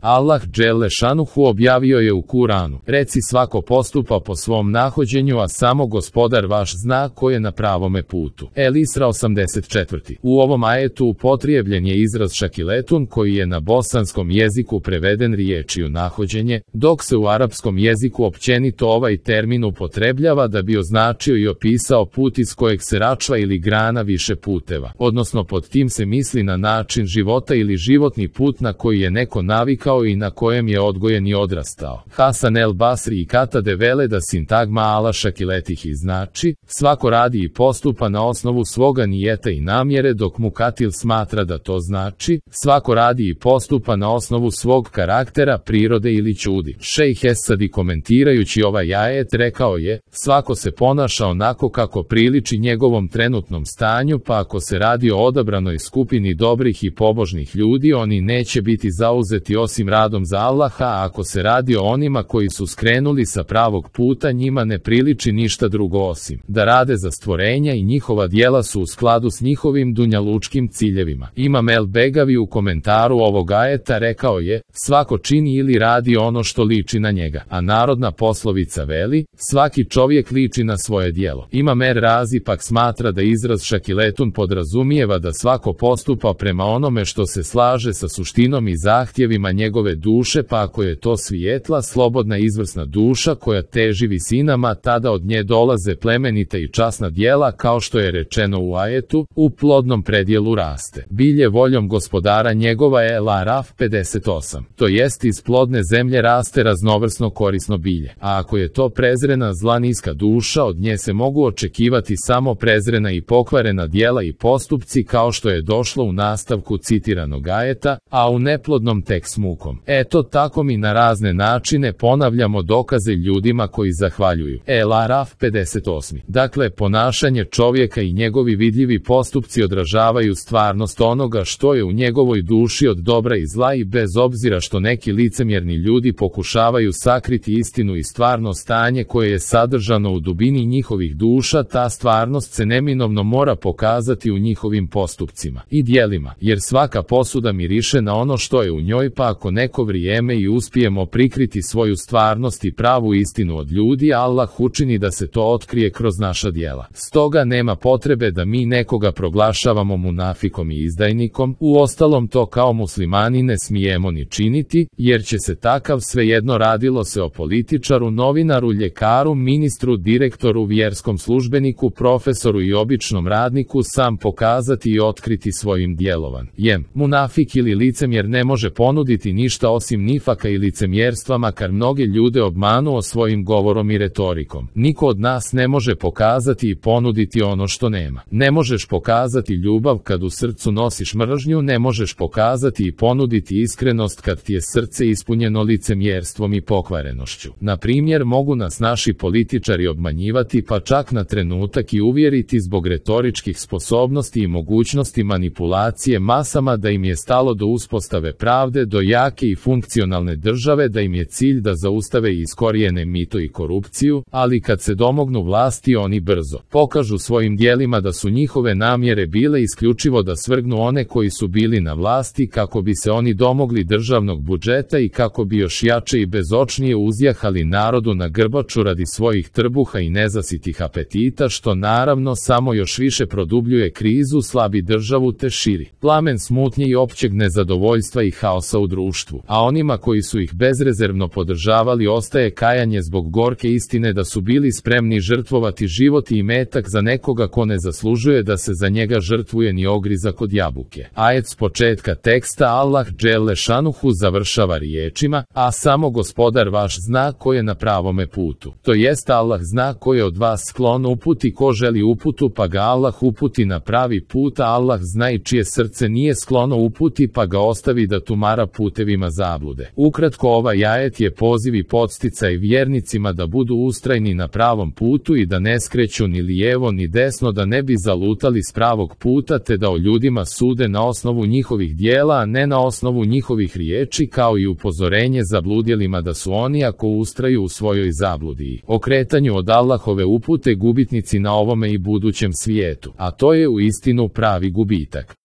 Allah dželle šanuhu objavio je u Kuranu: reci, svako postupa po svom nahođenju, a samo Gospodar vaš zna ko je na pravome putu. El Isra 84. U ovom ajetu upotrijebljen je izraz šakiletun, koji je na bosanskom jeziku preveden riječju nahođenje, dok se u arapskom jeziku općenito ovaj termin upotrebljava da bi označio i opisao put iz kojeg se račva ili grana više puteva, odnosno pod tim se misli na način života ili životni put na koji je neko navikao i na kojem je odgojen i odrastao. Hasan el Basri i Katade vele da sintagma ala šakiletih znači: svako radi i postupa na osnovu svoga nijeta i namjere, dok Mukatil smatra da to znači: svako radi i postupa na osnovu svog karaktera, prirode ili ćudi. Šejh Esadi komentirajući ovaj ajet rekao je: svako se ponaša onako kako priliči njegovom trenutnom stanju, pa ako se radi o odabranoj skupini dobrih i pobožnih ljudi, oni neće biti zauzeti osim radom za Allaha, a ako se radi o onima koji su skrenuli sa pravog puta, njima ne priliči ništa drugo osim da rade za stvorenja i njihova djela su u skladu s njihovim dunjalučkim ciljevima. Imam el Begavi u komentaru ovog ajeta rekao je: svako čini ili radi ono što liči na njega, a narodna poslovica veli: svaki čovjek liči na svoje djelo. Imam er Razi pak smatra da izraz šakiletun podrazumijeva da svako postupa prema onome što se slaže sa suštinom i zahtjevima njegove duše, pa ako je to svijetla, slobodna, izvrsna duša koja teži visinama, tada od nje dolaze plemenita i časna djela, kao što je rečeno u ajetu: u plodnom predjelu raste bilje voljom Gospodara njegova. El Araf 58. To jest, iz plodne zemlje raste raznovrsno korisno bilje, a ako je to prezrena, zla, niska duša, od nje se mogu očekivati samo prezrena i pokvarena djela i postupci, kao što je došlo u nastavku citiranog ajeta: a u neplodnom tek s mukom. Eto tako mi na razne načine ponavljamo dokaze ljudima koji zahvaljuju. El Araf 58. Dakle, ponašanje čovjeka i njegovi vidljivi postupci odražavaju stvarnost onoga što je u njegovoj duši od dobra i zla, i bez obzira što neki licemjerni ljudi pokušavaju sakriti istinu i stvarno stanje koje je sadržano u dubini njihovih duša, ta stvarnost se neminovno mora pokazati u njihovim postupcima i djelima, jer svaka posuda miriše na ono što je u njoj, pa ako neko vrijeme i uspijemo prikriti svoju stvarnost i pravu istinu od ljudi, Allah učini da se to otkrije kroz naša djela. Stoga nema potrebe da mi nekoga proglašavamo munafikom i izdajnikom, uostalom to kao muslimani ne smijemo ni činiti, jer će se takav, svejedno radilo se o političaru, novinaru, ljekaru, ministru, direktoru, vjerskom službeniku, profesoru i običnom radniku, sam pokazati i otkriti svojim djelovanjem. Munafik ili licemjer ne može ponuditi ništa osim nifaka i licemjerstva, makar mnoge ljude obmanuo svojim govorom i retorikom. Niko od nas ne može pokazati i ponuditi ono što nema. Ne možeš pokazati ljubav kad u srcu nosiš mržnju, ne možeš pokazati i ponuditi iskrenost kad ti je srce ispunjeno licemjerstvom i pokvarenošću. Na primjer, mogu nas naši političari obmanjivati, pa čak na trenutak i uvjeriti zbog retoričkih sposobnosti i mogućnosti manipulacije masama da im je stalo do uspostave pravde, do jake i funkcionalne države, da im je cilj da zaustave i iskorijene mito i korupciju, ali kad se domognu vlasti, oni brzo pokažu svojim djelima da su njihove namjere bile isključivo da svrgnu one koji su bili na vlasti, kako bi se oni domogli državnog budžeta i kako bi još jače i bezočnije uzjahali narodu na grbaču radi svojih trbuha i nezasitih apetita, što naravno samo još više produbljuje krizu, slabi državu te širi plamen smutnje i općeg nezadovoljstva i haosa u društvu. A onima koji su ih bezrezervno podržavali ostaje kajanje zbog gorke istine da su bili spremni žrtvovati život i imetak za nekoga ko ne zaslužuje da se za njega žrtvuje ni ogrizak od jabuke. Ajet s početka teksta Allah dželle šanuhu završava riječima: a samo Gospodar vaš zna ko je na pravome putu. To jest, Allah zna ko je od vas sklon uputi, ko želi uputu pa ga Allah uputi na pravi put, a Allah zna i čije srce nije sklono uputi pa ga ostavi da tumara putevima zablude. Ukratko, ovaj ajet je poziv i podsticaj vjernicima da budu ustrajni na pravom putu i da ne skreću ni lijevo ni desno, da ne bi zalutali s pravog puta, te da o ljudima sude na osnovu njihovih djela, a ne na osnovu njihovih riječi, kao i upozorenje zabludjelima da su oni, ako ustraju u svojoj zabludi i okretanju od Allahove upute, gubitnici na ovome i budućem svijetu, a to je uistinu pravi gubitak.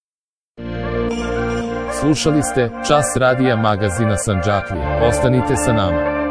Slušali ste Čas radija magazina Sandžaklije. Ostanite sa nama.